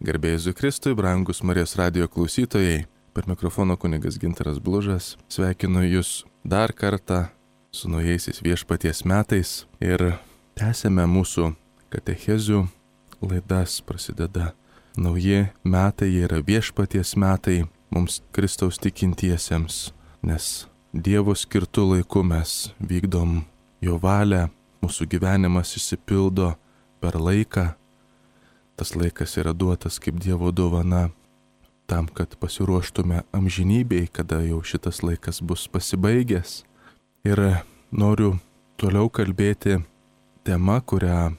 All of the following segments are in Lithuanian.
Garbėjai Jėzui Kristui, brangus Marijos radijo klausytojai, per mikrofono kunigas Gintaras Blužas, sveikinu Jūs dar kartą su naujaisiais viešpaties metais ir tęsėme mūsų katechezių laidas, prasideda nauji metai, jie yra viešpaties metai mums Kristaus tikintiesiems, nes Dievo skirtų laiku mes vykdom Jo valią, mūsų gyvenimas išsipildo per laiką. Tas laikas yra duotas kaip Dievo dovana tam, kad pasiruoštume amžinybei, kada jau šitas laikas bus pasibaigęs. Ir noriu toliau kalbėti tema, kurią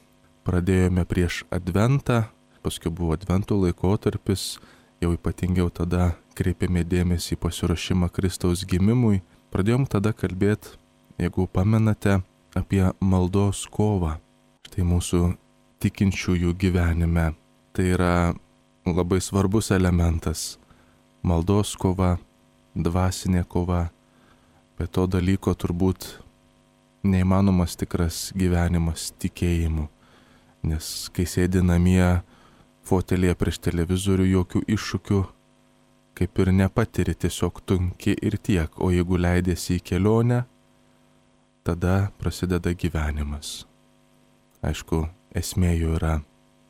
pradėjome prieš Adventą, paskui buvo Advento laikotarpis, jau ypatingiau tada kreipėme dėmesį į pasiruošimą Kristaus gimimui. Pradėjom tada kalbėti, jeigu pamenate, apie maldos kovą. Štai mūsų tikinčiųjų gyvenime. Tai yra labai svarbus elementas. Maldos kova, dvasinė kova. Be to dalyko turbūt neįmanomas tikras gyvenimas tikėjimu. Nes kai sėdi namie, fotelėje prieš televizorių, jokių iššūkių kaip ir nepatiri, tiesiog tunki ir tiek. O jeigu leidėsi į kelionę, tada prasideda gyvenimas. Aišku, esmė jo yra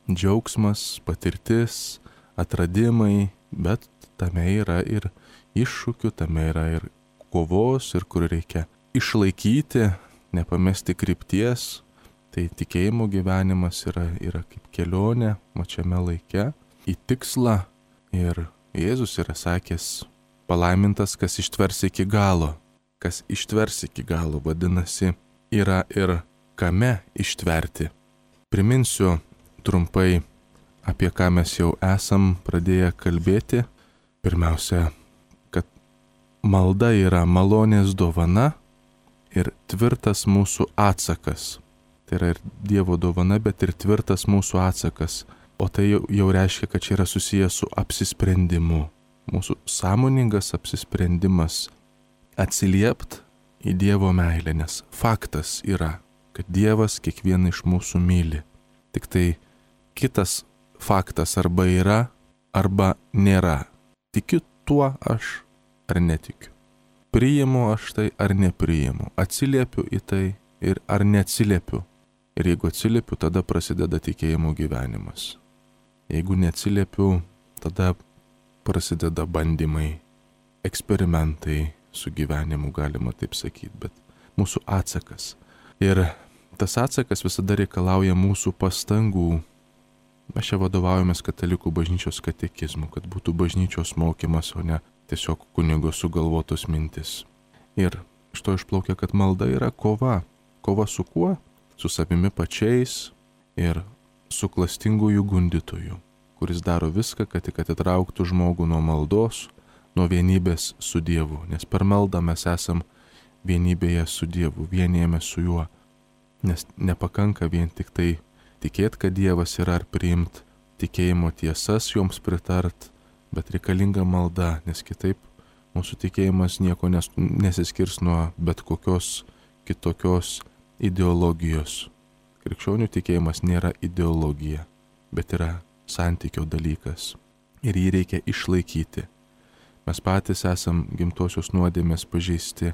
džiaugsmas, patirtis, atradimai, bet tame yra ir iššūkių, tame yra ir kovos, ir kur reikia išlaikyti, nepamesti krypties. Tai tikėjimo gyvenimas yra kaip kelionė mačiame laike į tikslą. Ir Jėzus yra sakęs, palaimintas, kas ištvers iki galo. Kas ištvers iki galo, vadinasi, yra ir kame ištverti. Priminsiu trumpai, apie ką mes jau esam pradėję kalbėti. Pirmiausia, kad malda yra malonės dovana ir tvirtas mūsų atsakas. Tai yra ir Dievo dovana, bet ir tvirtas mūsų atsakas. O tai jau reiškia, kad čia yra susijęs su apsisprendimu. Mūsų sąmoningas apsisprendimas atsiliept į Dievo meilę, nes faktas yra, kad Dievas kiekvieną iš mūsų myli. Tik tai kitas faktas arba yra, arba nėra. Tikiu tuo aš ar netikiu. Priimu aš tai ar nepriimu. Atsiliepiu į tai ir ar neatsiliepiu. Ir jeigu atsiliepiu, tada prasideda tikėjimo gyvenimas. Jeigu neatsiliepiu, tada prasideda bandymai, eksperimentai su gyvenimu, galima taip sakyti, bet mūsų atsakas. Ir tas atsakas visada reikalauja mūsų pastangų. Mes čia vadovaujamės katalikų bažnyčios katekizmu, kad būtų bažnyčios mokymas, o ne tiesiog kunigo sugalvotos mintis. Ir iš to išplaukia, kad malda yra kova. Kova su kuo? Su savimi pačiais ir su klastingųjų gundytojų, kuris daro viską, kad tik atitrauktų žmogų nuo maldos, nuo vienybės su Dievu. Nes per maldą mes esam vienybėje su Dievu, vienijame su Juo. Nes nepakanka vien tik tai tikėti, kad Dievas yra, ar priimti tikėjimo tiesas, joms pritart, bet reikalinga malda, nes kitaip mūsų tikėjimas nieko nesiskirs nuo bet kokios kitokios ideologijos. Krikščionių tikėjimas nėra ideologija, bet yra santykio dalykas. Ir jį reikia išlaikyti. Mes patys esam gimtosios nuodėmės pažeisti.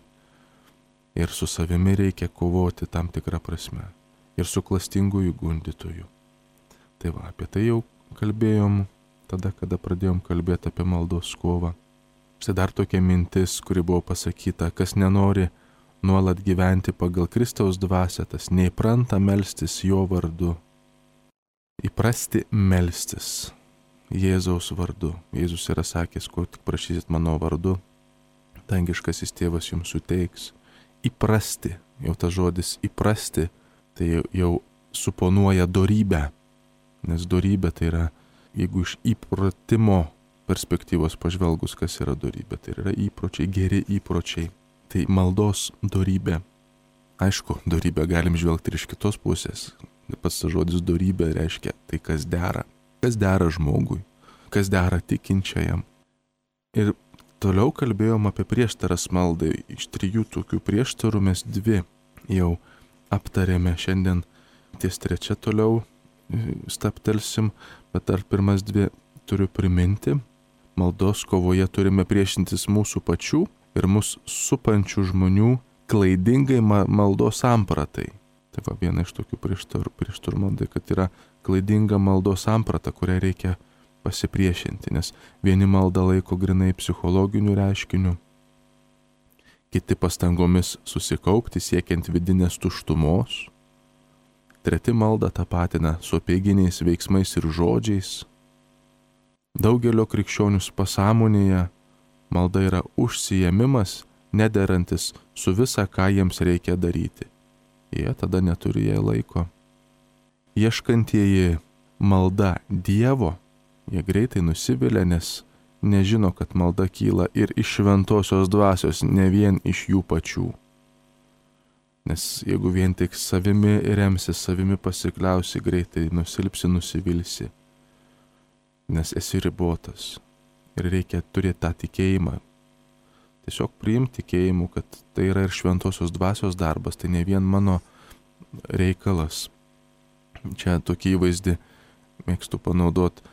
Ir su savimi reikia kovoti tam tikrą prasme. Ir su klastingųjų gundytojų. Tai va, apie tai jau kalbėjom tada, kada pradėjom kalbėti apie maldos kovą. Štai dar tokia mintis, kuri buvo pasakyta, kas nenori nuolat gyventi pagal Kristaus dvasią, tas neįpranta melstis jo vardu. Įprasti melstis Jėzaus vardu. Jėzus yra sakęs, ko tik prašysit mano vardu, dangiškasis tėvas jums suteiks. Įprasti, jau tas žodis įprasti, tai jau suponuoja dorybę. Nes dorybė tai yra, jeigu iš įpratimo perspektyvos pažvelgus, kas yra dorybė, tai yra įpročiai, geri įpročiai. Tai maldos dorybė. Aišku, dorybę galim žvelgti ir iš kitos pusės. Pats tas žodis dorybė reiškia tai, kas dera. Kas dera žmogui, kas dera tikinčiajam. Ir toliau kalbėjom apie prieštaras maldai. Iš 3 tokių prieštarų mes 2 jau aptarėme. Šiandien ties 3 toliau staptelsim, bet dar pirmas 2 turiu priminti, maldos kovoje turime priešintis mūsų pačių ir mus supančių žmonių klaidingai maldos sampratai. Tai va viena iš tokių prieštarų maldai, kad yra klaidinga maldos samprata, kurią reikia pasipriešinti, nes vieni maldą laiko grinai psichologiniu reiškiniu, kiti pastangomis susikaupti siekiant vidinės tuštumos, treti maldą tapatina su apeiginiais veiksmais ir žodžiais. Daugelio krikščionių pasąmonėje malda yra užsiėmimas, nederantis su visa, ką jiems reikia daryti. Jie tada neturi jai laiko. Ieškantieji malda Dievo, jie greitai nusivilia, nes nežino, kad malda kyla ir iš šventosios dvasios, ne vien iš jų pačių. Nes jeigu vien tik savimi remsi, savimi pasikliausi, greitai nusilpsi, nusivilsi. Nes esi ribotas ir reikia turėti tą tikėjimą. Tiesiog priimti tikėjimu, kad tai yra ir šventosios dvasios darbas, tai ne vien mano reikalas. Čia tokį įvaizdį mėgstu panaudoti.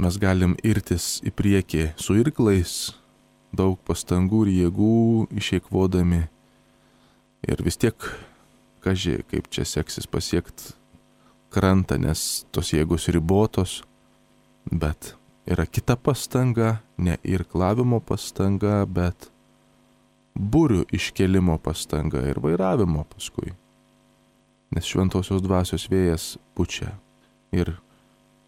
Mes galim irtis į priekį su irklais, daug pastangų ir jėgų išeikvodami. Ir vis tiek, kaži, kaip čia seksis pasiekti krantą, nes tos jėgos ribotos, bet yra kita pastanga, ne irklavimo pastanga, bet burių iškelimo pastanga ir vairavimo paskui. Nes šventosios dvasios vėjas pučia ir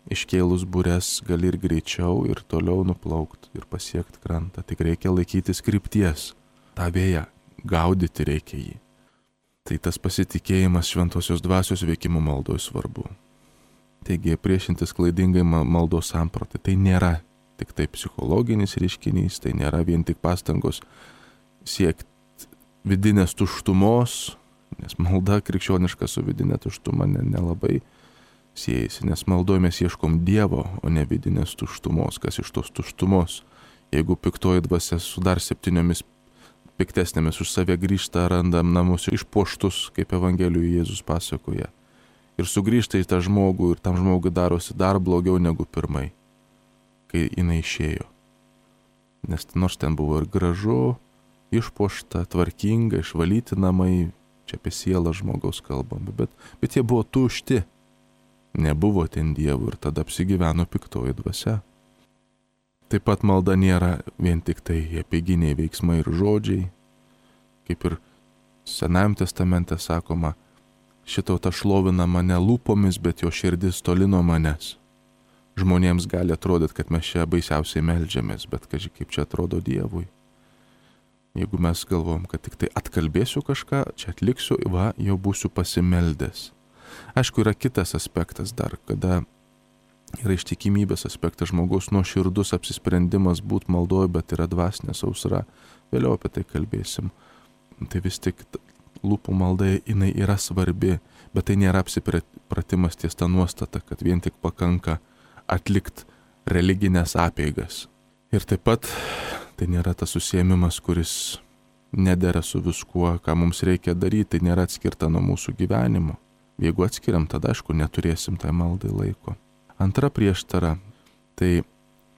iškėlus bures gali ir greičiau ir toliau nuplaukti ir pasiekti krantą. Tik reikia laikytis krypties, tą vėją gaudyti reikia jį. Tai tas pasitikėjimas šventosios dvasios veikimu maldoje svarbu. Taigi priešintis klaidingai maldos sampratai, tai nėra tik tai psichologinis reiškinys, tai nėra vien tik pastangos siekti vidinės tuštumos, nes malda krikščioniška su vidinė tuštuma nelabai siejasi, nes maldoje mes ieškom Dievo, o ne vidinės tuštumos. Kas iš tos tuštumos? Jeigu piktoji dvasia su dar 7 piktesnėmis už save grįžta, randam namus išpuoštus, kaip Evangelijoje Jėzus pasakoja. Ir sugrįžta į tą žmogų ir tam žmogui darosi dar blogiau negu pirmai, kai jinai išėjo. Nes nors ten buvo ir gražu, išpuošta, tvarkinga, išvalyti namai, čia apie sielą žmogaus kalbame, bet jie buvo tušti. Nebuvo ten Dievo ir tada apsigyveno piktoji dvasia. Taip pat malda nėra vien tik tai apeiginiai veiksmai ir žodžiai. Kaip ir Senajame testamente sakoma, ši tauta šlovina mane lūpomis, bet jo širdis toli nuo manęs. Žmonėms gali atrodyti, kad mes čia baisiausiai meldžiamės, bet kaži kaip čia atrodo Dievui. Jeigu mes galvom, kad tik tai atkalbėsiu kažką, čia atliksiu, jau būsiu pasimeldęs. Aišku, yra kitas aspektas dar, kada yra ištikimybės aspektas, žmogaus nuoširdus apsisprendimas būti maldoje, bet yra dvasinė sausra. Vėliau apie tai kalbėsim. Tai vis tik lūpų malda, jinai yra svarbi, bet tai nėra apsipratimas ties tą nuostatą, kad vien tik pakanka atlikti religinės apeigas. Ir taip pat tai nėra tas užsiėmimas, kuris nedera su viskuo, ką mums reikia daryti, tai nėra atskirta nuo mūsų gyvenimo. Jeigu atskiriam, tada aišku, neturėsim tai maldai laiko. Antra prieštara, tai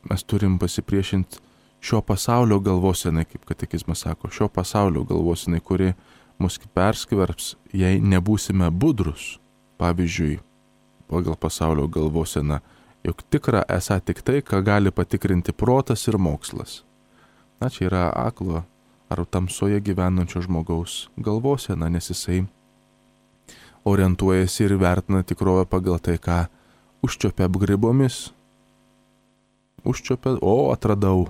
mes turim pasipriešinti šio pasaulio galvosenai, kaip katekizmas sako, šio pasaulio galvosenai, kuri mus perskverbs, jei nebūsime budrus. Pavyzdžiui, pagal pasaulio galvoseną, jog tikra esą tik tai, ką gali patikrinti protas ir mokslas. Na, čia yra aklo ar tamsoje gyvenančio žmogaus galvosena, nes jisai orientuojasi ir vertina tikrovę pagal tai, ką užčiopia apgrybomis. Užčiopia, atradau.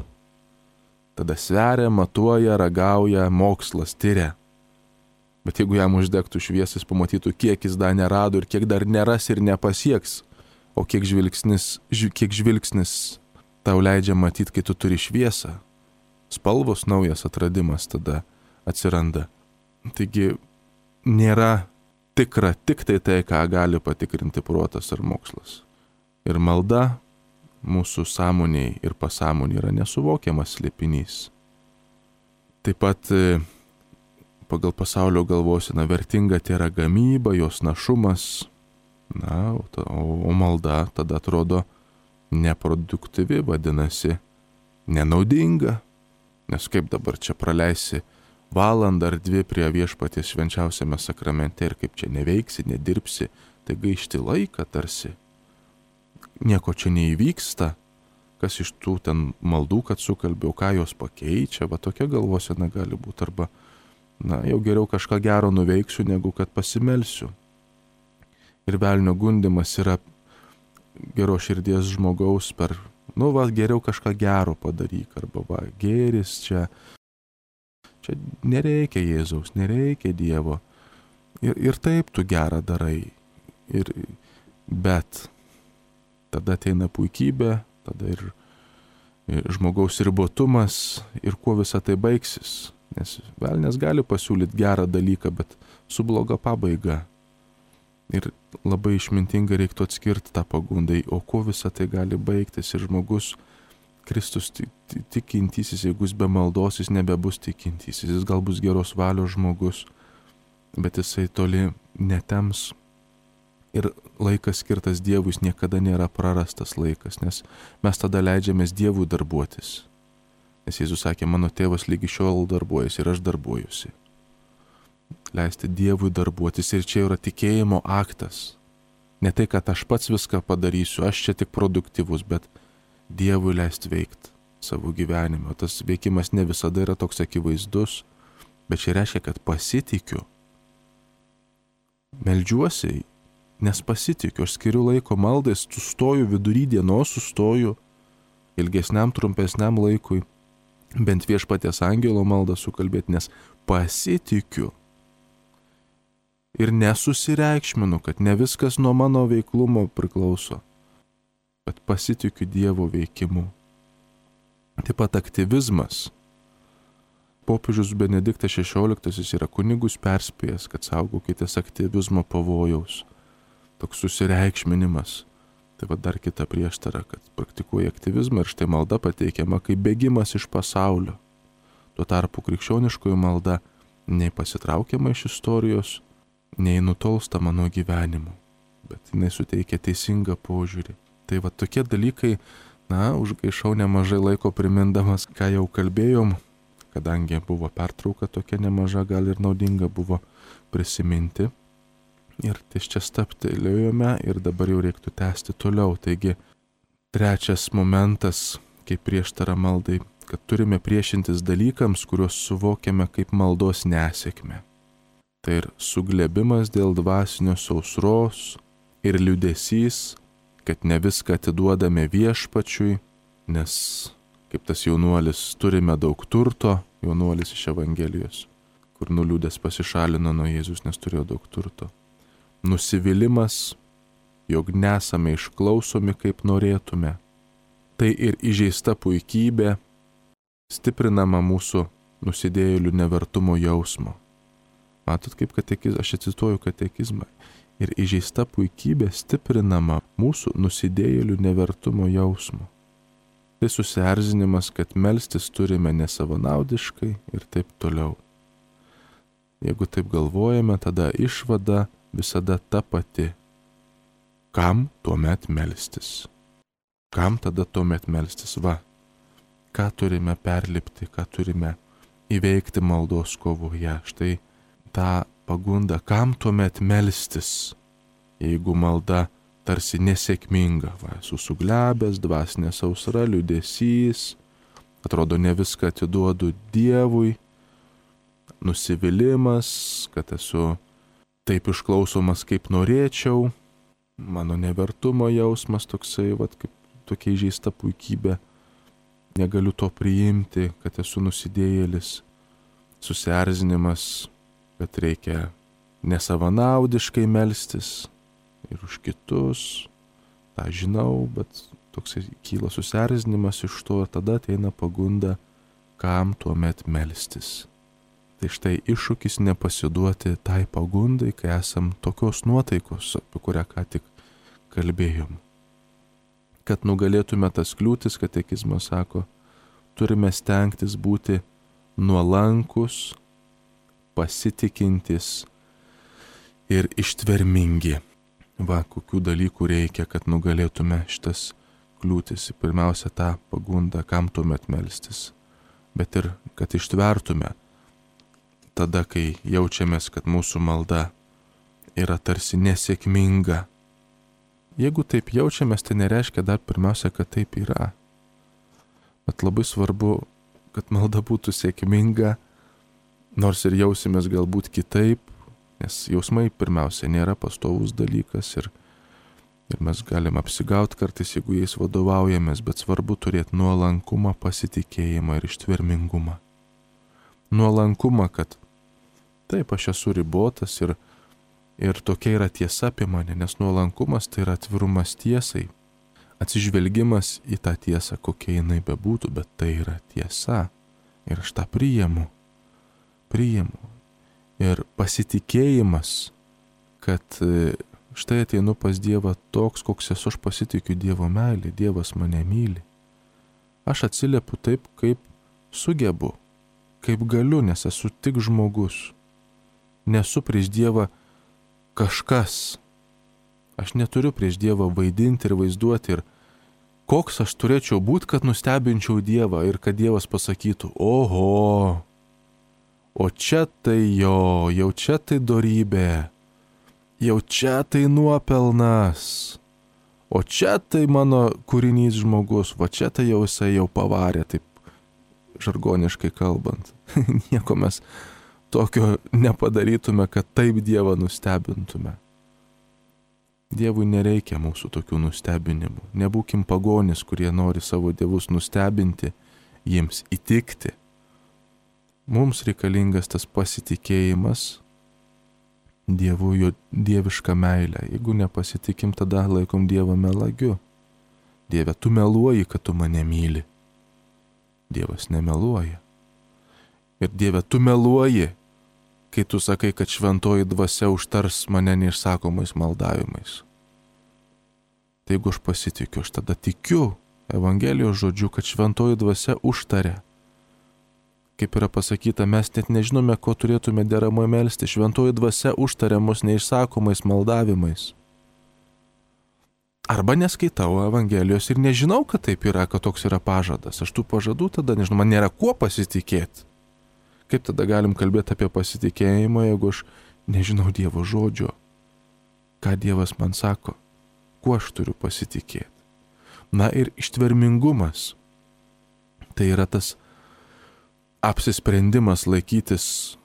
Tada sveria, matuoja, ragauja, mokslas, tyria. Bet jeigu jam uždegtų šviesas, pamatytų, kiek jis dar nerado ir kiek dar neras ir nepasieks, o kiek žvilgsnis tau leidžia matyti, kai tu turi šviesą. Spalvos naujas atradimas tada atsiranda. Taigi nėra tikra tik tai, ką gali patikrinti protas ar mokslas. Ir malda mūsų sąmoniai ir pasąmoniai yra nesuvokiamas slėpinys. Taip pat pagal pasaulio galvoseną vertinga tai yra gamyba, jos našumas. Na, o malda tada atrodo neproduktyvi, vadinasi, nenaudinga. Nes kaip dabar čia praleisi valandą ar dvi prie viešpaties švenčiausiame sakramente ir kaip čia neveiksi, nedirbsi, tai gaišti laiką tarsi. Nieko čia neįvyksta, kas iš tų ten maldų, kad sukalbėjau, ką jos pakeičia, va tokia galvosena gali būti, arba, jau geriau kažką gero nuveiksiu, negu kad pasimelsiu. Ir velnio gundymas yra geros širdies žmogaus per, geriau kažką gero padaryk, arba gėris čia nereikia Jėzaus, nereikia Dievo. Ir taip tu gerą darai. Bet tada ateina puikybė, tada ir žmogaus ribotumas ir kuo visa tai baigsis. Nes velnias gali pasiūlyti gerą dalyką, bet su bloga pabaiga. Ir labai išmintingai reiktų atskirti tą pagundai, o kuo visa tai gali baigtis. Ir žmogus, Kristus tikintysis, jeigu jis be maldos, jis nebebus tikintysis. Jis gal bus geros valios žmogus, bet jisai toli netems. Ir laikas skirtas Dievui niekada nėra prarastas laikas, nes mes tada leidžiamės Dievui darbuotis. Nes Jėzus sakė, mano tėvas lygi šiol darbuojasi ir aš darbuojusi. Leisti Dievui darbuotis ir čia yra tikėjimo aktas. Ne tai, kad aš pats viską padarysiu, aš čia tik produktyvus, bet Dievui leisti veikti savo gyvenime. Tas veikimas ne visada yra toks akivaizdus, bet čia reiškia, kad pasitikiu. Meldžiuosi, nes pasitikiu, aš skiriu laiko maldai, sustoju vidury dienos, sustoju ilgesniam, trumpesniam laikui, bent viešpaties angelo maldą sukalbėti, nes pasitikiu. Ir nesusireikšminu, kad ne viskas nuo mano veiklumo priklauso, bet pasitikiu Dievo veikimu. Taip pat aktyvizmas. Popiežius Benediktas XVI yra kunigus perspėjęs, kad saugokitės aktyvizmo pavojaus. Toks susireikšminimas. Tai va dar kita prieštara, kad praktikuoja aktyvizmą ir štai malda pateikiama kaip bėgimas iš pasaulio. Tuo tarpu krikščioniškoji malda nei pasitraukiama iš istorijos, nei nutolstama nuo gyvenimo, bet jinai suteikia teisingą požiūrį. Tai va tokie dalykai, užgaišau nemažai laiko primindamas, ką jau kalbėjom, kadangi buvo pertrauka tokia nemaža, gal ir naudinga buvo prisiminti. Ir ties čia stabtelėjome ir dabar jau reiktų tęsti toliau. Taigi, trečias momentas, kaip prieštara maldai, kad turime priešintis dalykams, kuriuos suvokiame kaip maldos nesėkmę. Tai ir suglebimas dėl dvasinio sausros ir liūdesys, kad ne viską atiduodame viešpačiui, nes, kaip tas jaunuolis, turime daug turto, jaunuolis iš Evangelijos, kur nuliūdęs pasišalino nuo Jėzus, nes turėjo daug turto. Nusivylimas, jog nesame išklausomi, kaip norėtume. Tai ir įžeista puikybė, stiprinama mūsų nusidėjėlių nevertumo jausmo. Matot, kaip aš cituoju katekizmą. Ir įžeista puikybė stiprinama mūsų nusidėjėlių nevertumo jausmo. Tai susierzinimas, kad melstis turime nesavanaudiškai ir taip toliau. Jeigu taip galvojame, tada išvada visada ta pati. Kam tuomet melstis? Kam tada tuomet melstis? Ką turime perlipti, ką turime įveikti maldos kovoje. Štai tą pagundą, kam tuomet melstis, jeigu malda tarsi nesėkminga, esu suglebęs, dvasinė sausra, liūdesys, atrodo ne viską atiduodu Dievui, nusivylimas, kad esu taip išklausomas, kaip norėčiau, mano nevertumo jausmas toksai, kaip tokia įžeista puikybė, negaliu to priimti, kad esu nusidėjėlis, susierzinimas, kad reikia nesavanaudiškai melstis ir už kitus, tą žinau, bet toksai kyla susierzinimas iš to ir tada ateina pagunda, kam tuomet melstis. Tai štai iššūkis nepasiduoti tai pagundai, kai esam tokios nuotaikos, apie kurią ką tik kalbėjom. Kad nugalėtume tas kliūtis, katekizmas sako, turime stengtis būti nuolankus, pasitikintis ir ištvermingi. Kokių dalykų reikia, kad nugalėtume šitas kliūtis, pirmiausia tą pagundą, kam tuomet melstis, bet ir kad ištvertume tada, kai jaučiamės, kad mūsų malda yra tarsi nesėkminga. Jeigu taip jaučiamės, tai nereiškia dar pirmiausia, kad taip yra. Bet labai svarbu, kad malda būtų sėkminga, nors ir jausimės galbūt kitaip, nes jausmai pirmiausia nėra pastovus dalykas ir mes galim apsigauti kartais, jeigu jais vadovaujamės, bet svarbu turėti nuolankumą, pasitikėjimą ir ištvermingumą. Nuolankumą, kad taip, aš esu ribotas ir tokia yra tiesa apie mane, nes nuolankumas tai yra atvirumas tiesai, atsižvelgimas į tą tiesą, kokia jinai bebūtų, bet tai yra tiesa ir aš tą priimu. Ir pasitikėjimas, kad štai ateinu pas Dievą toks, koks esu, aš pasitikiu Dievo meilė, Dievas mane myli. Aš atsiliepiu taip, kaip sugebu, kaip galiu, nes esu tik žmogus. Nesu prieš Dievą kažkas. Aš neturiu prieš Dievą vaidinti ir vaizduoti ir koks aš turėčiau būti, kad nustebinčiau Dievą ir kad Dievas pasakytų, oho, o čia tai jo, jau čia tai dorybė, jau čia tai nuopelnas, o čia tai mano kūrinys žmogus, va čia tai jau jisai jau pavarė, taip žargoniškai kalbant. Nieko mes tokio nepadarytume, kad taip Dievą nustebintume. Dievui nereikia mūsų tokių nustebinimų. Nebūkim pagonis, kurie nori savo dievus nustebinti, jiems įtikti. Mums reikalingas tas pasitikėjimas Dievu, jo dievišką meilę. Jeigu nepasitikim, tada laikom Dievą melagiu. Dieve, tu meluoji, kad tu mane myli. Dievas nemeluoja. Ir Dieve, tu meluoji, kai tu sakai, kad šventoji dvasia užtars mane neišsakomais maldavimais. Tai jeigu aš pasitikiu, aš tada tikiu Evangelijos žodžiu, kad šventoji dvasia užtaria. Kaip yra pasakyta, mes net nežinome, ko turėtume deramai melsti. Šventoji dvasia užtaria mus neišsakomais maldavimais. Arba neskaitau Evangelijos ir nežinau, kad taip yra, kad toks yra pažadas. Aš tų pažadų tada nežinau, man nėra kuo pasitikėti. Kaip tada galim kalbėti apie pasitikėjimą, jeigu aš nežinau Dievo žodžio? Ką Dievas man sako? Kuo aš turiu pasitikėti? Na ir ištvermingumas. Tai yra tas apsisprendimas laikytis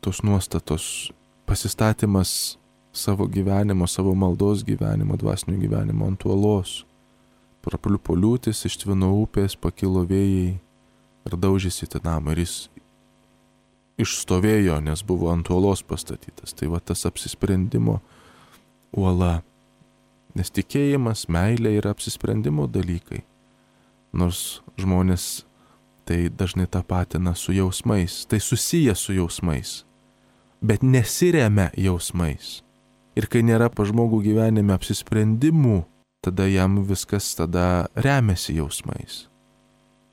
tos nuostatos, pasistatymas savo gyvenimo, savo maldos gyvenimo, dvasinio gyvenimo ant uolos. Prapliupo liūtis, ištvino upės, pakilo vėjai ir daužėsi tą namą ir jis išstovėjo, nes buvo ant uolos pastatytas. Tai va tas apsisprendimo uola. Nes tikėjimas, meilė yra apsisprendimo dalykai. Nors žmonės tai dažnai tapatina su jausmais, tai susiję su jausmais, bet nesiremia jausmais. Ir kai nėra pa žmogų gyvenime apsisprendimų, tada jam viskas tada remiasi jausmais.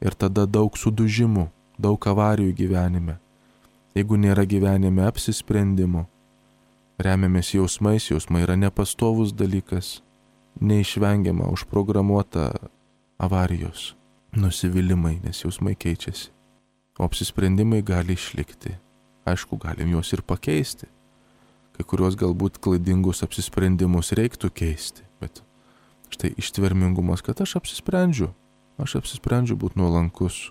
Ir tada daug sudužimų, daug avarijų gyvenime. Jeigu nėra gyvenime apsisprendimų, remiamės jausmais, jausmai yra nepastovus dalykas, neišvengiama, užprogramuota avarijos, nusivylimai, nes jausmai keičiasi. O apsisprendimai gali išlikti. Aišku, galim juos ir pakeisti. Kai kuriuos galbūt klaidingus apsisprendimus reiktų keisti, bet štai ištvermingumas, kad aš apsisprendžiu būti nuolankus,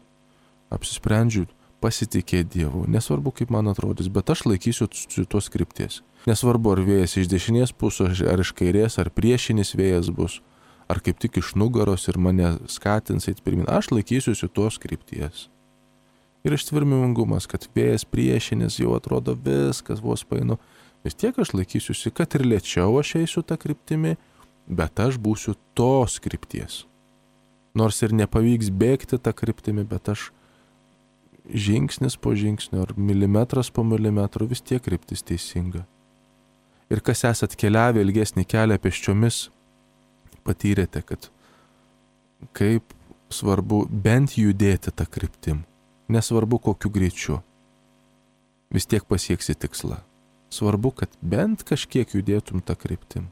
apsisprendžiu pasitikėti Dievu. Nesvarbu, kaip man atrodys, bet aš laikysiu tos krypties. Nesvarbu, ar vėjas iš dešinės pusės, ar iš kairės, ar priešinis vėjas bus, ar kaip tik iš nugaros ir mane skatins eiti pirmin. Aš laikysiuosi tos krypties. Ir ištvermingumas, kad vėjas priešinis jau atrodo viskas, vos painu. Vis tiek aš laikysiuosi, kad ir lėčiau aš eisiu tą kryptimį, bet aš būsiu tos krypties. Nors ir nepavyks bėgti tą kryptimį, bet aš žingsnis po žingsnio ar milimetras po milimetro vis tiek kryptis teisinga. Ir kas esat keliavę ilgesnį kelią pėsčiomis, patyrėte, kad kaip svarbu bent judėti tą kryptim. Nesvarbu kokiu greičiu. Vis tiek pasieksi tikslą. Svarbu, kad bent kažkiek judėtum tą kryptim.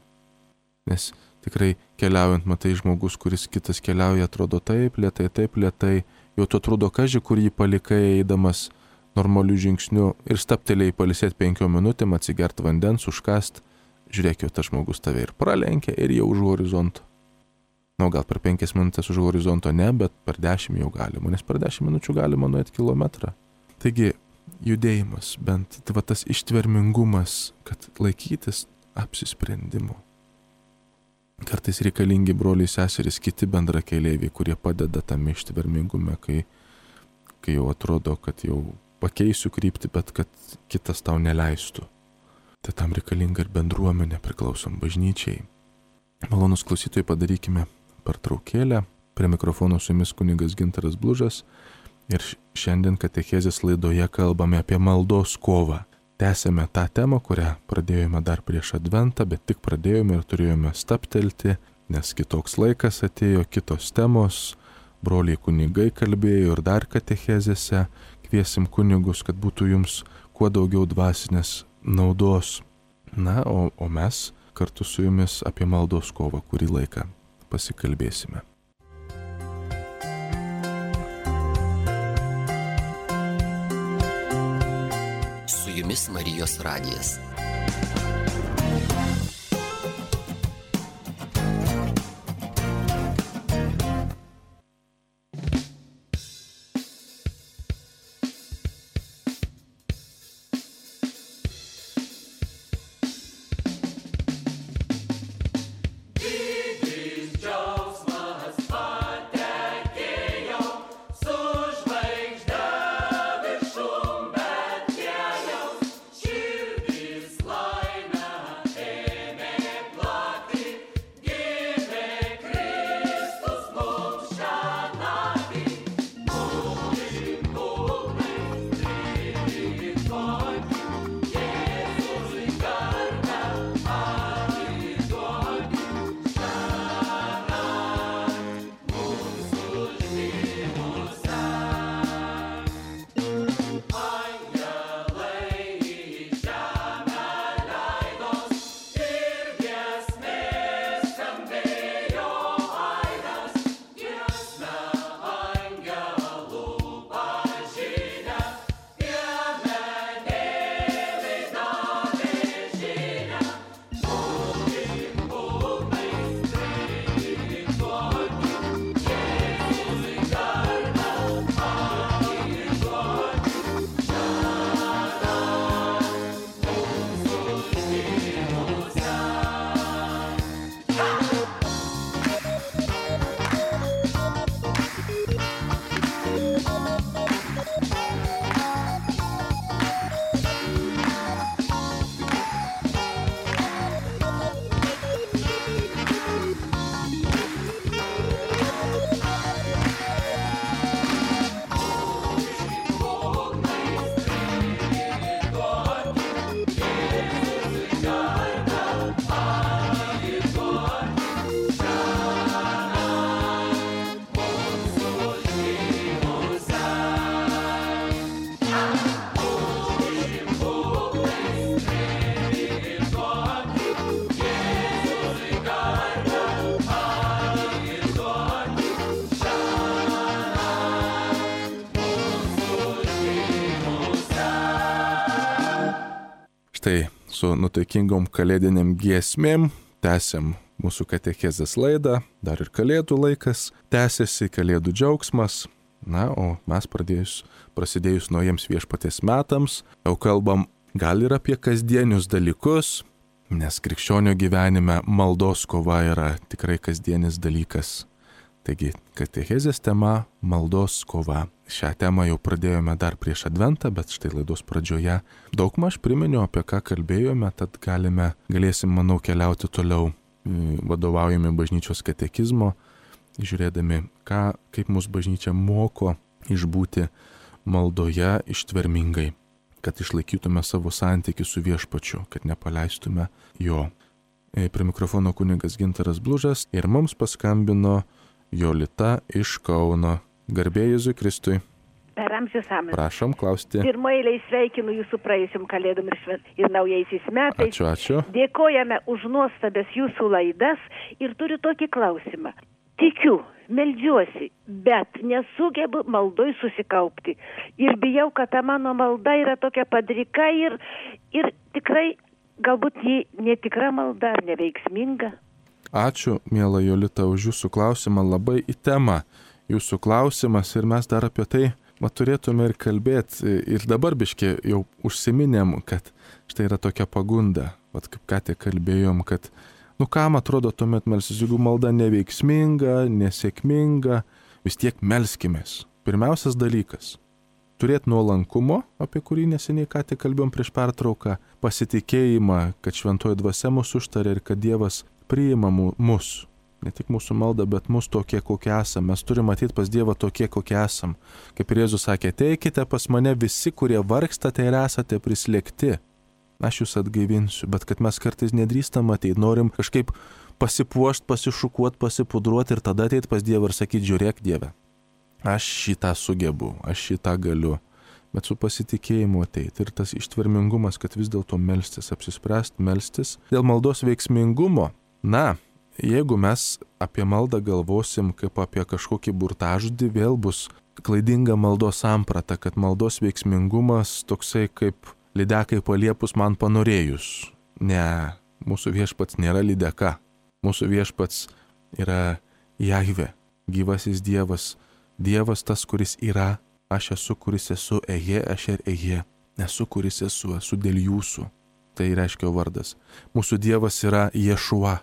Nes tikrai keliaujant matai žmogus, kuris kitas keliauja, atrodo taip lėtai, jau tu atrodo kaži, kur jį palikai eidamas normalių žingsnių ir staptelėjai palisėti 5 minutėm, atsigert vandens, užkast, žiūrėk, jau tas žmogus tave ir pralenkia ir jau už horizonto. Na, gal per 5 minutės už horizonto ne, bet per 10 jau galima, nes per 10 minučių galima nuėti kilometrą. Taigi, judėjimas, bent tas ištvermingumas, kad laikytis apsisprendimo. Kartais reikalingi broliai seserys, kiti bendrakeleiviai, kurie padeda tam ištvermingume, kai jau atrodo, kad jau pakeisiu kryptį, bet kad kitas tau neleistų. Tai tam reikalinga ir bendruomenė, priklausom bažnyčiai. Malonus klausytojai, padarykime pertraukėlę. Prie mikrofono su jumis kunigas Gintaras Blužas ir šiandien katechezės laidoje kalbame apie maldos kovą. Tęsėme tą temą, kurią pradėjome dar prieš Adventą, bet tik pradėjome ir turėjome staptelti, nes kitoks laikas atėjo, kitos temos, broliai kunigai kalbėjo ir dar katechezėse. Kviesim kunigus, kad būtų jums kuo daugiau dvasinės naudos. Na, o mes kartu su jumis apie maldos kovą kurį laiką pasikalbėsime. Su jumis Marijos radijas. Štai su nuotaikingom kalėdinėm giesmėm tęsiam mūsų katechezės laidą, dar ir kalėdų laikas, tęsiasi kalėdų džiaugsmas. Na, o mes prasidėjus naujiems viešpaties metams, jau kalbam gal ir apie kasdienius dalykus, nes krikščionio gyvenime maldos kova yra tikrai kasdienis dalykas. Taigi, katechezės tema – maldos kova. Šią temą jau pradėjome dar prieš Adventą, bet štai laidos pradžioje daugmaž priminiau, apie ką kalbėjome, tad galėsim, manau, keliauti toliau, vadovaujami bažnyčios katekizmo, žiūrėdami, kaip mūsų bažnyčia moko išbūti maldoje ištvermingai, kad išlaikytume savo santykį su viešpačiu, kad nepaleistume jo. Prie mikrofono kunigas Gintaras Blužas ir mums paskambino Jolita iš Kauno. Garbė Jėzui Kristui. Per per amžius amžius. Prašom klausti. Pirmoje eilėje sveikinu jūsų praėjusiam kalėdom ir naujaisiais metais. Ačiū. Dėkojame už nuostabės jūsų laidas ir turiu tokį klausimą. Tikiu, meldžiuosi, bet nesugebu maldoj susikaupti. Ir bijau, kad ta mano malda yra tokia padrika ir tikrai galbūt ji netikra malda ar neveiksminga. Ačiū, miela Jolita, už jūsų klausimą, labai į temą jūsų klausimas ir mes dar apie tai turėtume ir kalbėti. Ir dabar biškį jau užsiminėm, kad štai yra tokia pagunda, kaip ką tik kalbėjom, kad kam atrodo tuomet melstis, jeigu malda neveiksminga, nesėkminga, vis tiek melskimės. Pirmiausias dalykas - turėti nuolankumo, apie kurį neseniai ką tik kalbėjom prieš pertrauką, pasitikėjimą, kad šventoji dvasia mus užtarė ir kad Dievas priima mus. Ne tik mūsų maldą, bet mus tokie, kokie esam. Mes turime matyti pas Dievą tokie, kokie esam. Kaip ir Jėzus sakė, ateikite pas mane visi, kurie vargstate ir esate prislėgti. Aš jūs atgaivinsiu, bet kad mes kartais nedrįstam ateiti, norim kažkaip pasipuošti, pasišukuoti, pasipudruoti ir tada ateiti pas Dievą ir sakyti, žiūrėk Dieve, aš šitą sugebu, aš šitą galiu, bet su pasitikėjimu ateiti. Ir tas ištvermingumas, kad vis dėlto melstis, apsispręsti melstis. Dėl maldos veiksmingumo, jeigu mes apie maldą galvosim kaip apie kažkokį burtažodį, vėl bus klaidinga maldos samprata, kad maldos veiksmingumas toksai kaip lydekai paliepus man panorėjus. Ne, mūsų viešpats nėra lydeka. Mūsų viešpats yra Jahvė, gyvasis Dievas. Dievas tas, kuris yra, aš esu, kuris esu, aš ir esu, kuris esu dėl jūsų. Tai reiškia vardas. Mūsų Dievas yra Ješua.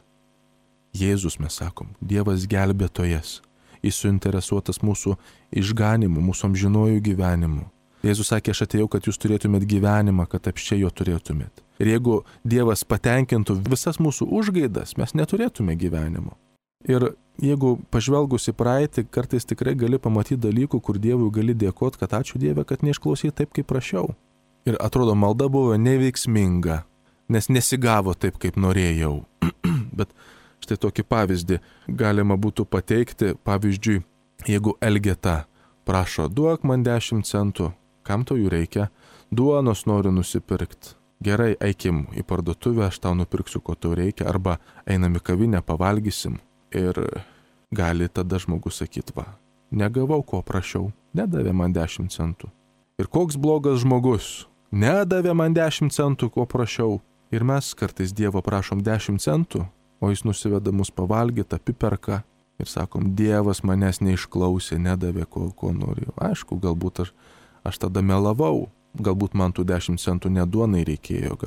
Jėzus mes sakom, Dievas gelbėtojas. Jis suinteresuotas mūsų išganimu, mūsų amžinojų gyvenimu. Jėzus sakė, aš atėjau, kad jūs turėtumėt gyvenimą, kad apščiai jo turėtumėt. Ir jeigu Dievas patenkintų visas mūsų užgaidas, mes neturėtume gyvenimo. Ir jeigu pažvelgus į praeitį, kartais tikrai gali pamatyti dalykų, kur Dievui gali dėkoti, kad ačiū Dieve, kad neišklausai taip, kaip prašiau. Ir atrodo, malda buvo neveiksminga, nes nesigavo taip, kaip norėjau. Bet štai tokį pavyzdį galima būtų pateikti. Pavyzdžiui, jeigu Elgeta prašo, duok man 10 centų, kam tau jų reikia? Duonos noriu nusipirkti. Gerai, eikim į parduotuvę, aš tau nupirksiu, ko tau reikia, arba einam į kavinę, pavalgysim. Ir gali tada žmogus sakyti, negavau, ko prašiau, nedavė man 10 centų. Ir koks blogas žmogus, nedavė man 10 centų, ko prašiau. Ir mes kartais Dievo prašom 10 centų, o jis nusiveda mus pavalgyti, apiperka. Ir sakom, Dievas manęs neišklausė, nedavė, ko norėjau. Aišku, galbūt aš tada melavau, galbūt man tų 10 centų neduonai reikėjo,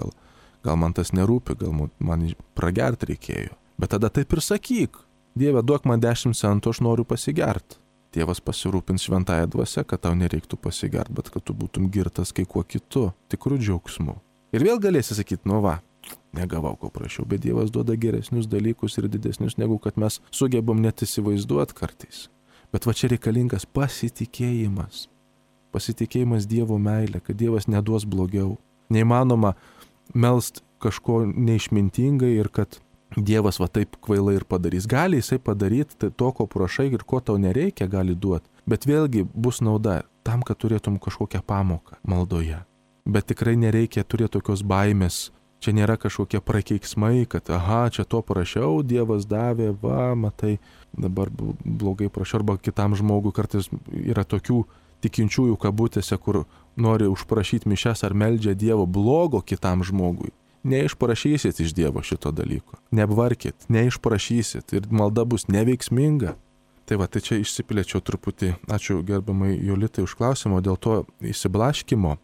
gal man tas nerūpi, gal man pragerti reikėjo. Bet tada taip ir sakyk, Dieve, duok man 10 centų, aš noriu pasigerti. Dievas pasirūpins šventąją dvasią, kad tau nereiktų pasigerti, bet kad tu būtum girtas kai kuo kitu, tikrų džiaugsmu. Ir vėl galėsi sakyti, negavau, ko prašiau, bet Dievas duoda geresnius dalykus ir didesnius, negu kad mes sugebam net įsivaizduoti kartais. Bet čia reikalingas pasitikėjimas. Pasitikėjimas Dievo meilė, kad Dievas neduos blogiau. Neįmanoma melst kažko neišmintingai ir kad Dievas taip kvailai ir padarys. Gali jisai padaryti to, ko prašai ir ko tau nereikia, gali duoti. Bet vėlgi bus nauda tam, kad turėtum kažkokią pamoką maldoje. Bet tikrai nereikia turėti tokios baimės. Čia nėra kažkokie prakeiksmai, kad čia to prašiau, Dievas davė, matai, dabar blogai prašiau. Arba kitam žmogui kartais yra tokių tikinčiųjų kabutėse, kur nori užprašyti mišias ar meldžia Dievo blogo kitam žmogui. Neišprašysit iš Dievo šito dalyko. Neapvarkit, neišprašysit ir malda bus neveiksminga. Tai čia išsiplėčiau truputį. Ačiū gerbiamai Jolitai už klausimą, dėl to išsiblaškimo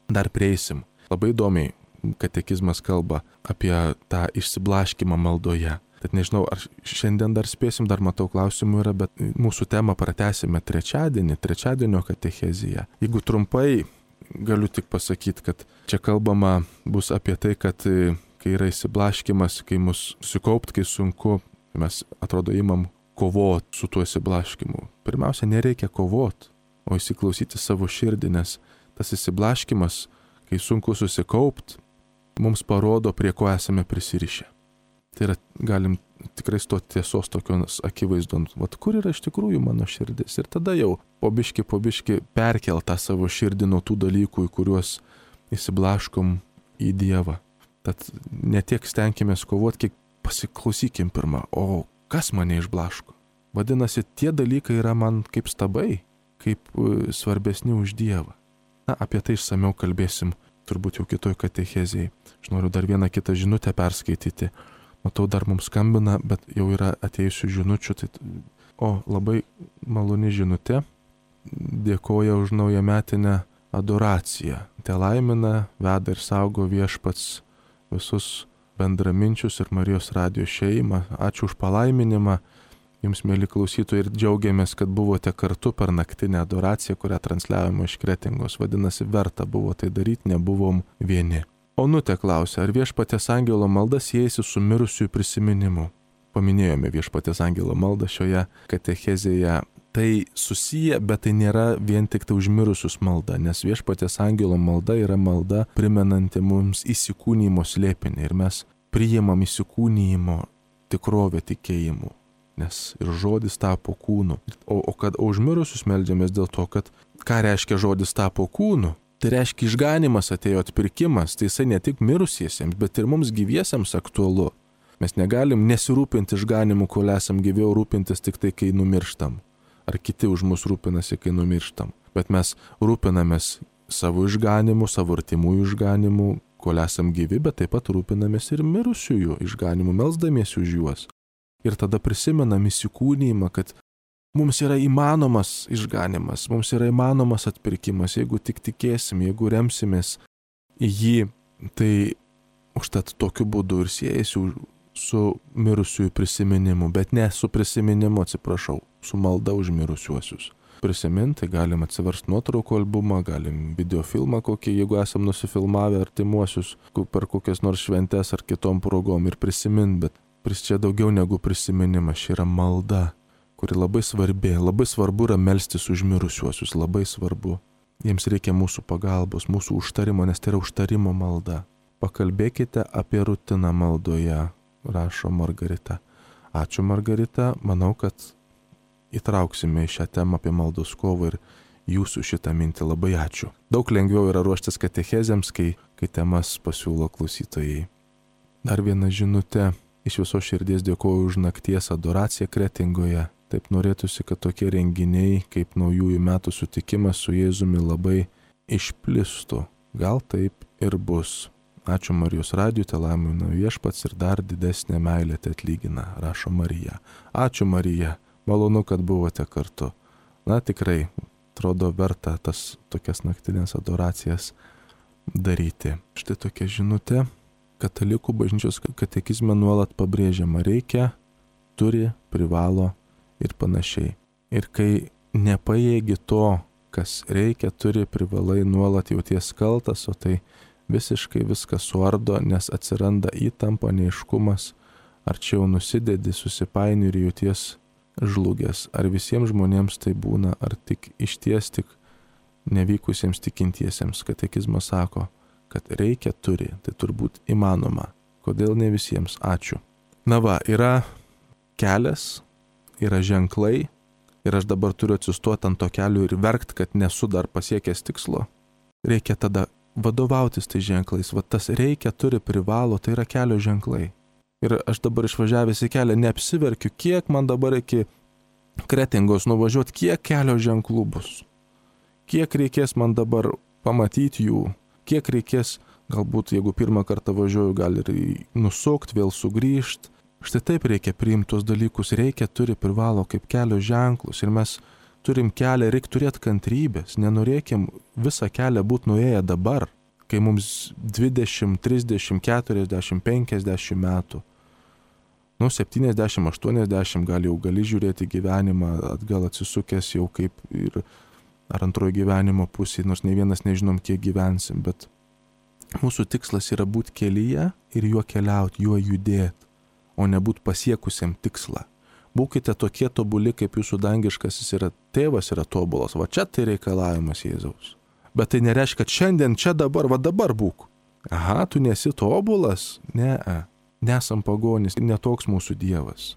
dar prieisim. Labai įdomiai katekizmas kalba apie tą išsiblaškimą maldoje. Tad nežinau, ar šiandien dar spėsim, dar matau klausimų yra, bet mūsų temą pratęsime trečiadienio katecheziją. Jeigu trumpai, galiu tik pasakyti, kad čia kalbama bus apie tai, kad kai yra išsiblaškimas, kai mus susikaupt, kai sunku, mes atrodo imam kovoti su tuo išsiblaškimu. Pirmiausia, nereikia kovoti, o įsiklausyti savo širdį, nes tas išsiblaškimas, kai sunku susikaupt, mums parodo, prie ko esame prisirišę. Tai yra, galim tikrai stoti tiesos tokios akivaizdon, vat kur yra iš tikrųjų mano širdis. Ir tada jau po biški perkel tą savo širdį nuo tų dalykų, į kuriuos įsiblaškom į Dievą. Tad netiek stenkimės kovoti, kiek pasiklausykim pirmą, o kas mane išblaško? Vadinasi, tie dalykai yra man kaip stabai, kaip svarbesni už Dievą. Na, apie tai išsamiau kalbėsim turbūt jau kitoj katechezėje. Aš noriu dar vieną kitą žinutę perskaityti. Matau, dar mums skambina, bet jau yra atėjusių žinučių. Labai maloni žinutė. Dėkoja už naujametinę adoraciją. Te laimina, veda ir saugo Viešpats visus bendraminčius ir Marijos radijo šeimą. Ačiū už palaiminimą. Jums, mėly klausytojai, ir džiaugiamės, kad buvote kartu per naktinę adoraciją, kurią transliavome iš Kretingos. Vadinasi, verta buvo tai daryti, nebuvom vieni. Onutė klausia, ar Viešpaties angelo malda siejasi su mirusiųjų prisiminimu? Paminėjome Viešpaties angelo maldą šioje katechezėje. Tai susiję, bet tai nėra vien tik tai užmirusius malda, nes Viešpaties angelo malda yra malda primenanti mums įsikūnymo slėpinį ir mes priimam įsikūnymo tikrovę tikėjimu. Nes ir žodis tapo kūnu. O kad užmirusius meldžiamės dėl to, kad ką reiškia žodis tapo kūnu? Tai reiškia išganimas atėjo, atpirkimas, tai jisai ne tik mirusiesiems, bet ir mums gyviesiems aktualu. Mes negalim nesirūpinti išganimu, kol esam gyvi, rūpintis tik tai, kai numirštam. Ar kiti už mus rūpinasi, kai numirštam. Bet mes rūpinamės savo išganimu, savo artimųjų išganimu, kol esam gyvi, bet taip pat rūpinamės ir mirusiųjų išganimu, melsdamiesi už juos. Ir tada prisimenam įsikūnijimą, kad mums yra įmanomas išganimas, mums yra įmanomas atpirkimas, jeigu tik tikėsim, jeigu remsimės į jį, tai užtat tokiu būdu ir siejasi su mirusiųjų prisiminimu, bet ne su prisiminimu, atsiprašau, su malda už mirusiuosius. Prisiminti galim atsiversti nuotraukų albumą, galim videofilmą kokį, jeigu esam nusifilmavę artimuosius per kokias nors šventes ar kitom progom ir prisiminti, bet čia daugiau negu prisiminimas, čia yra malda, kuri labai svarbi, labai svarbu yra melstis už mirusiuosius, labai svarbu. Jiems reikia mūsų pagalbos, mūsų užtarimo, nes tai yra užtarimo malda. Pakalbėkite apie rutiną maldoje, rašo Margarita. Ačiū, Margarita, manau, kad įtrauksime į šią temą apie maldos kovą ir jūsų šitą mintį. Labai ačiū. Daug lengviau yra ruoštis katechezėms, kai temas pasiūlo klausytojai. Dar viena žinutė. Iš viso širdies dėkoju už nakties adoraciją Kretingoje. Taip norėtųsi, kad tokie renginiai kaip naujųjų metų sutikimas su Jėzumi labai išplistų. Gal taip ir bus. Ačiū Marijos radijui, te laimina Viešpats ir dar didesnė meilė te atlygina, rašo Marija. Ačiū Marija, malonu, kad buvote kartu. Na tikrai, atrodo verta tas tokias naktinės adoracijas daryti. Štai tokia žinutė. Katalikų bažnyčios katekizme nuolat pabrėžiama reikia, turi, privalo ir panašiai. Ir kai nepajėgi to, kas reikia, turi, privalai, nuolat jauties kaltas, o tai visiškai viskas suardo, nes atsiranda įtampa, neaiškumas, ar čia jau nusidedi, susipaini ir jauties žlugęs. Ar visiems žmonėms tai būna, ar tik išties tik nevykusiems tikintiesiems. Katekizmas sako, kad reikia, turi, tai turbūt įmanoma. Kodėl ne visiems? Ačiū. Na va, yra kelias, yra ženklai ir aš dabar turiu atsistoti ant to kelio ir verkt, kad nesu dar pasiekęs tikslo. Reikia tada vadovautis tai ženklais. Va tas reikia, turi, privalo, tai yra kelio ženklai. Ir aš dabar išvažiavęs į kelią neapsiverkiu, kiek man dabar iki Kretingos nuvažiuoti, kiek kelio ženklų bus. Kiek reikės man dabar pamatyti jų. Kiek reikės, galbūt jeigu pirmą kartą važiuoju, gal ir nusukti, vėl sugrįžti. Štai taip reikia priimti tuos dalykus. Reikia, turi, privalo kaip kelio ženklus. Ir mes turim kelią, reikia turėti kantrybės. Nenorėkim visą kelią būti nuėję dabar, kai mums 20, 30, 40, 50 metų. 70, 80 gal jau gali žiūrėti gyvenimą, atgal atsisukęs jau kaip ir ar antrojo gyvenimo pusėje, nors ne vienas nežinom, kiek gyvensim, bet mūsų tikslas yra būti kelyje ir juo keliauti, juo judėti, o ne būti pasiekusiam tikslą. Būkite tokie tobuli, kaip jūsų dangiškasis yra tėvas yra tobulas. Va čia tai reikalavimas Jėzaus. Bet tai nereiškia, kad šiandien, čia dabar, va dabar būk. Aha, tu nesi tobulas? Ne. nesam pagonys, netoks mūsų Dievas.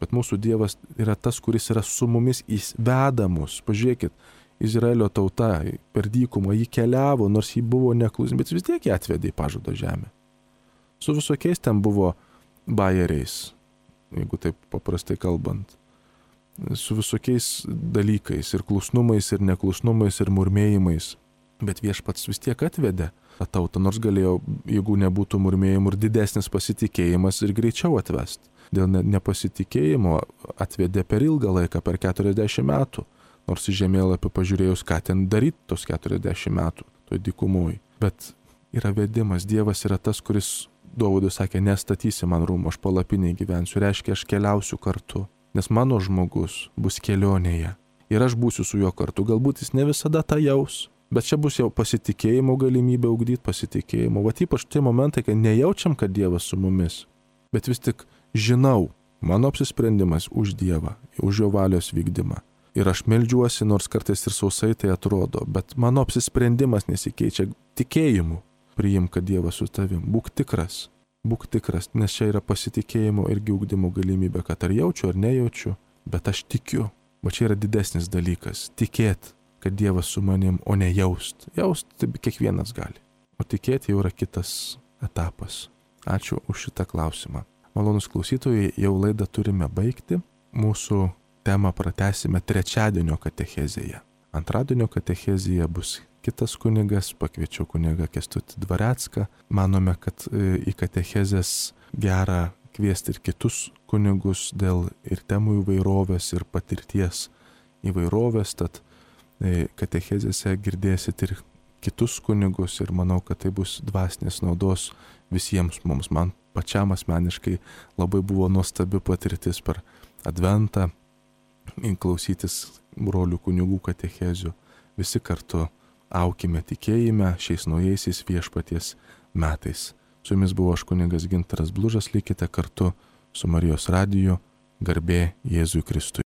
Bet mūsų Dievas yra tas, kuris yra su mumis, jis veda mus. Pažiūrėkit, Izraelio tauta per dykumą, jį keliavo, nors jį buvo neklusni, bet vis tiek jį atvedė į pažado žemę. Su visokiais ten buvo bajeriais, jeigu taip paprastai kalbant. Su visokiais dalykais, ir klusnumais, ir neklusnumais, ir murmėjimais. Bet Viešpats vis tiek atvedė tą tautą, nors galėjo, jeigu nebūtų murmėjimų, ir didesnis pasitikėjimas ir greičiau atvest. Dėl nepasitikėjimo atvedė per ilgą laiką, per 40 metų. Nors į žemėlapį pažiūrėjus, ką ten daryti tos 40 metų, toj dykumoj. Bet yra vedimas, Dievas yra tas, kuris Dovydui sakė, nestatysi man rūmų, aš palapinėje gyvensiu, reiškia, aš keliausiu kartu, nes mano žmogus bus kelionėje ir aš būsiu su juo kartu. Galbūt jis ne visada tą jaus, bet čia bus jau pasitikėjimo galimybė ugdyti pasitikėjimo. Va ypač tie momentai, kai nejaučiam, kad Dievas su mumis, bet vis tik žinau, mano apsisprendimas už Dievą, už jo valios vykdymą. Ir aš meldžiuosi, nors kartais ir sausai tai atrodo, bet mano apsisprendimas nesikeičia tikėjimu. Priimk, kad Dievas su tavim. Būk tikras, nes čia yra pasitikėjimo irgi ugdymo galimybė, kad ar jaučiu, ar nejaučiu, bet aš tikiu. Va čia yra didesnis dalykas. Tikėt, kad Dievas su manim, o ne jaust. Jaust tai kiekvienas gali. O tikėti jau yra kitas etapas. Ačiū už šitą klausimą. Malonus klausytojai, jau laidą turime baigti. Mūsų temą pratęsime trečiadienio katechezėje. Antradienio katechezėje bus kitas kunigas, pakviečiau kunigą Kęstutį Dvarecką. Manome, kad į katechezės gera kviesti ir kitus kunigus dėl ir temų įvairovės, ir patirties įvairovės, tad katechezėse girdėsit ir kitus kunigus ir manau, kad tai bus dvasinės naudos visiems mums. Man pačiam asmeniškai labai buvo nuostabi patirtis per Adventą klausytis brolių kunigų katechezių. Visi kartu aukime tikėjime šiais naujaisiais Viešpaties metais. Su jumis buvo aš kunigas Gintaras Blužas, likite kartu su Marijos radiju. Garbė Jėzui Kristui.